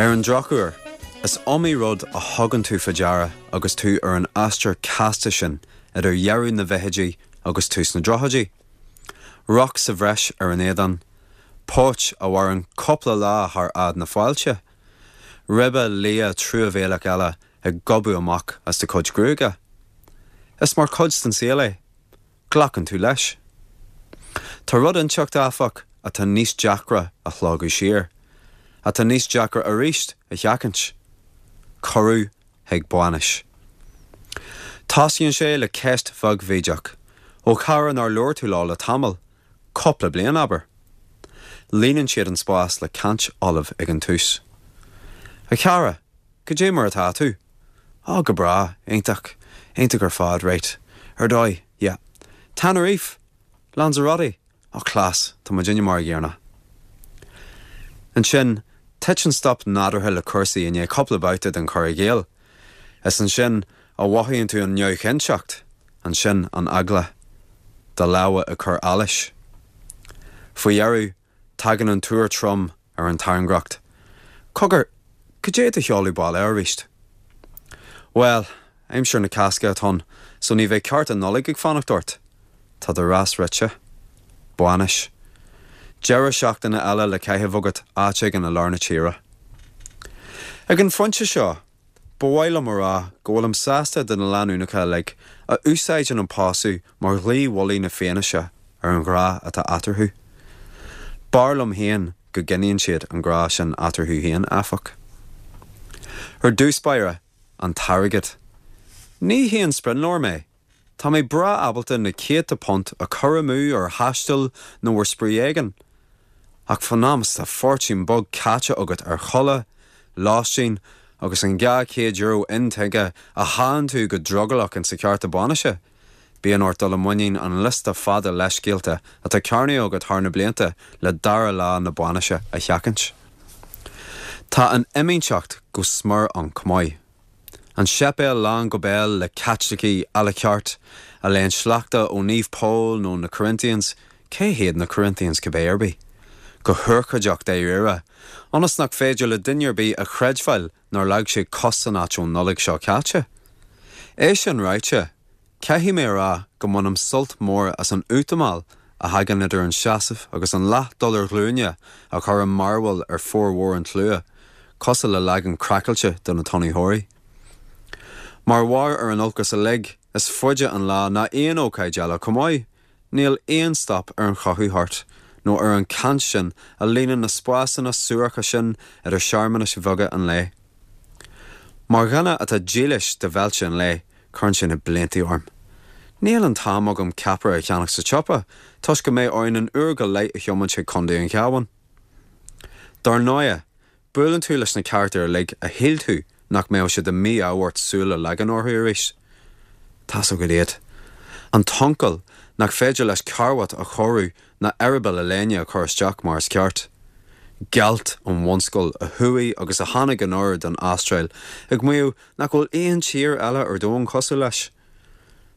Ar an drochuair, is iomaí rud a thugann tú faoi deara agus tú ar an aistear casta sin idir dheireadh na bhfichidí agus tús na dtríochaidí. Roc sa bhreis ar an éadán, póit a mhaireann cúpla lá thar fhad na fáilte, ribe liath truamhéalach eile ag gobadh amach as do chuid gruaige. Is mar chuid den saol é. Glacann tú leis. Tá rud inteacht, áfach, atá níos deacra a shlogadh siar, atá níos deacra arís a sheachaint, cuireadh chuig bainis. Tosaíonn sé le ceist bheag bhídeach, ó chara nár labhair tú leo le tamall, cúpla bliain, abair. Líonann siad an spás le caint fholamh ag an tús. A chara, cad é mar atá tú? Á, go breá, iontach, iontach ar fad, right, ar dóigh, yeah. Tenerife! Lanzarote! Á, class, tá muidinne mar a gcéanna. Ansin, titeann stop nádúrtha le cúrsaí i ndiaidh cúpla babhta den chur i gcéill. Is ansin a mhothaíonn tú an neamhchinnteacht, ansin an eagla. Do lámha ag cur allais. Faoi dheireadh, Tagann an tuar trom ar an tairngreacht. Cogar, cad é do sheoladh baile arís? Bhuel, aimsir na Cásca atá ann, so ní bheidh ceárta Nollag ag fanacht ort. Tá do rás rite. Bainis. Deireadh seachtaine eile le caitheamh agat áit éigin i lár na tíre. Ag an phointe seo, Ba mhaith liom a rá go bhfuilim sásta do na lánúineacha uilig a úsáideann an pósadh mar dhlaoi mhullaigh na fianaise ar an ghrá atá eatarthu. B'fhearr liom féin go gcoinníonn siad an grá sin eatarthu féin, áfach. Ar dtús báire, an t-airgead. Ní haon sprionlóir mé. Tá mé breá ábalta na céadta punt a chur amú ar thaisteal nó ar spraoi éigin. Ach fán am is atá fortún beag caite agat ar chulaith, lóistín agus an €200 intuigthe a shánn tú go drogallach insa cheárta bainise, bíonn ort dul i muinín an liosta fada leithscéalta atá cearnaithe agat thar na blianta le dara lá na bainise a sheachaint. Tá an fhimínteacht go smior ann chomh maith. An séipéal lán go béal le Caitlicigh à la carte a léann sleachta ó Naomh Pól nó na Corinthians, cé hiad na Corinthians cibé ar bith? go hurchóideach dáiríre, ionas nach féidir le duine ar bith a chreidbheáil nár leag siad cos san áit ón Nollaig seo caite. É sin ráite, Caithfidh mé a rá go mbainim sult mór as an útamáil a thagann idir an seasamh agus an leath dul ar ghlúine a chuireann mearbhall ar formhór an tslua, cosúil le leagan craiceáilte de na Tonnaítheoirí. Mar bharr ar an olcas uilig, is faide an lá ná aon ócáid eile chomh maith. Níl aon stop ar an chothú thart, nó ar an chaint sin a líonann na spásanna suaracha sin idir searmanais bheaga an lae. Mar dhuine atá dílis do bheilte an lae, cuireann sé na blianta orm. Níl an t-am agam ceapaire a cheannach sa tsiopa, toisc go mbeidh orainn an uair go leith a thiomáint chuig Contae an Chabháin. Dar ndóighe, Buaileann tú leis na carachtair uilig a shíl tú nach mbeadh sé de mhí-ádh ort súil a leagan orthu arís. Tá's agat iad. An t-uncail nach féidir leis carbhat a chóiriú ná eireaball a léine a chur isteach mar is ceart. Gealt ón bhunscoil a chuaigh agus a tháinig anoir don Astráil ag maíomh nach bhfuil aon tír eile ar domhan cosúil leis.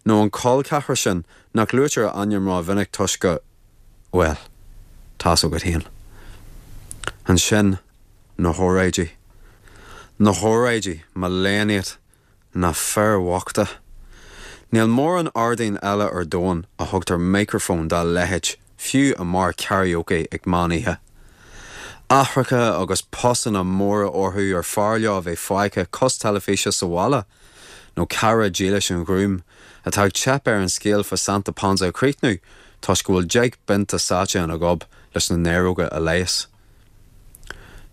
Nó an col ceathrar sin nach luaitear a ainm ró-mhinic toisc go, bhuel, tá's agat féin. Ansin, na hóráidí. Na hóráidí, mo léan iad. Na fir bhochta. Níl mórán ardáin eile ar domhan a thugtar micreafón dá leithéid, fiú i mbeár karaoke ag meán oíche. Aithreacha agus posanna móra orthu ar fearr leo a bheith fágtha cois teilifíse sa bhaile, nó cara dílis an ghrúim, atá ag teip air an scéal fá Santa Ponsa a chríochnú toisc go bhfuil 10 bpionta sáite ina ghob leis na néaróga a leigheas.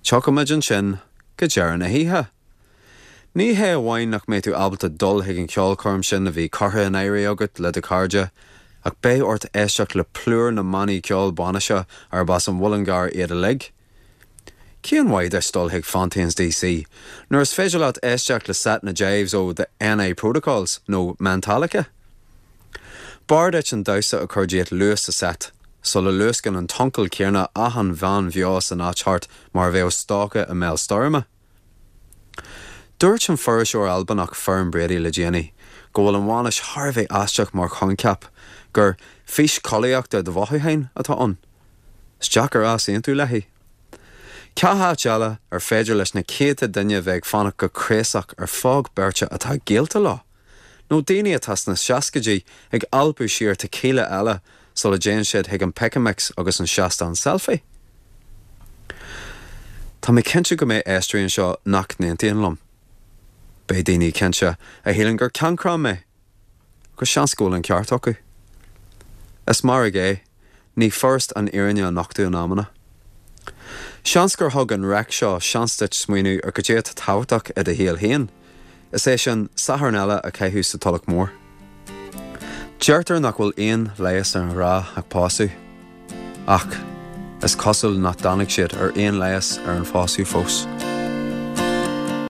Tiocfaimid ansin go deireadh na hoíche. Ní hé amháin nach mbeidh tú ábalta dul chuig an cheolchoirm sin a bhí curtha in áirithe agat le do chairde, ach beidh ort éisteacht le plúr na mbannaí ceoil bainise arb as an Mhuileann gCearr iad uilig. Cén mhaith duit dul chuig Fontaines DC nuair is féidir leat éisteacht le seit na jives ó The NI Protocols nó Metallica? B'fhearr duit an damhsa a chur díot luath sa seit, sula luascann an t-uncail céanna achan bhean bheo san áit thart mar a bheadh stoca i mbéal stoirme. Dúirt an fuirseoir Albanach Fern Brady le déanaí go bhfuil an bhainis thar a bheith aisteach mar choincheap, gur 'fís chollaíochta do mhothúcháin' atá ann. Is deacair easaontú léi. Cá háit eile ar féidir leis na céadta duine a bheith ag fanacht go craosach ar phóg beirte atá gaolta leo? Nó daoine atá sna seascaidí ag alpadh siar tequila eile sula dtéann siad chuig an Pick a Mix agus an seastán selfie? Tá mé cinnte go mbeidh éisteoirí anseo nach n-aontaíonn liom. Beidh daoine, cinnte, a shíleann gur cancrán mé. Agus seans go bhfuil an ceart acu. Is mairg é, ní furast an fhírinne a nochtadh in amanna. Seans gur thug an raic seo seans duit smaoineamh ar goidé atá tábhachtach i do shaol féin, is é sin, Satharn eile a chaitheamh sa Tulach Mhór. Deirtear nach bhfuil aon leigheas ar an ghrá ach pósadh. Ach is cosúil nach dtáinig siad ar aon leigheas ar an phósadh fós.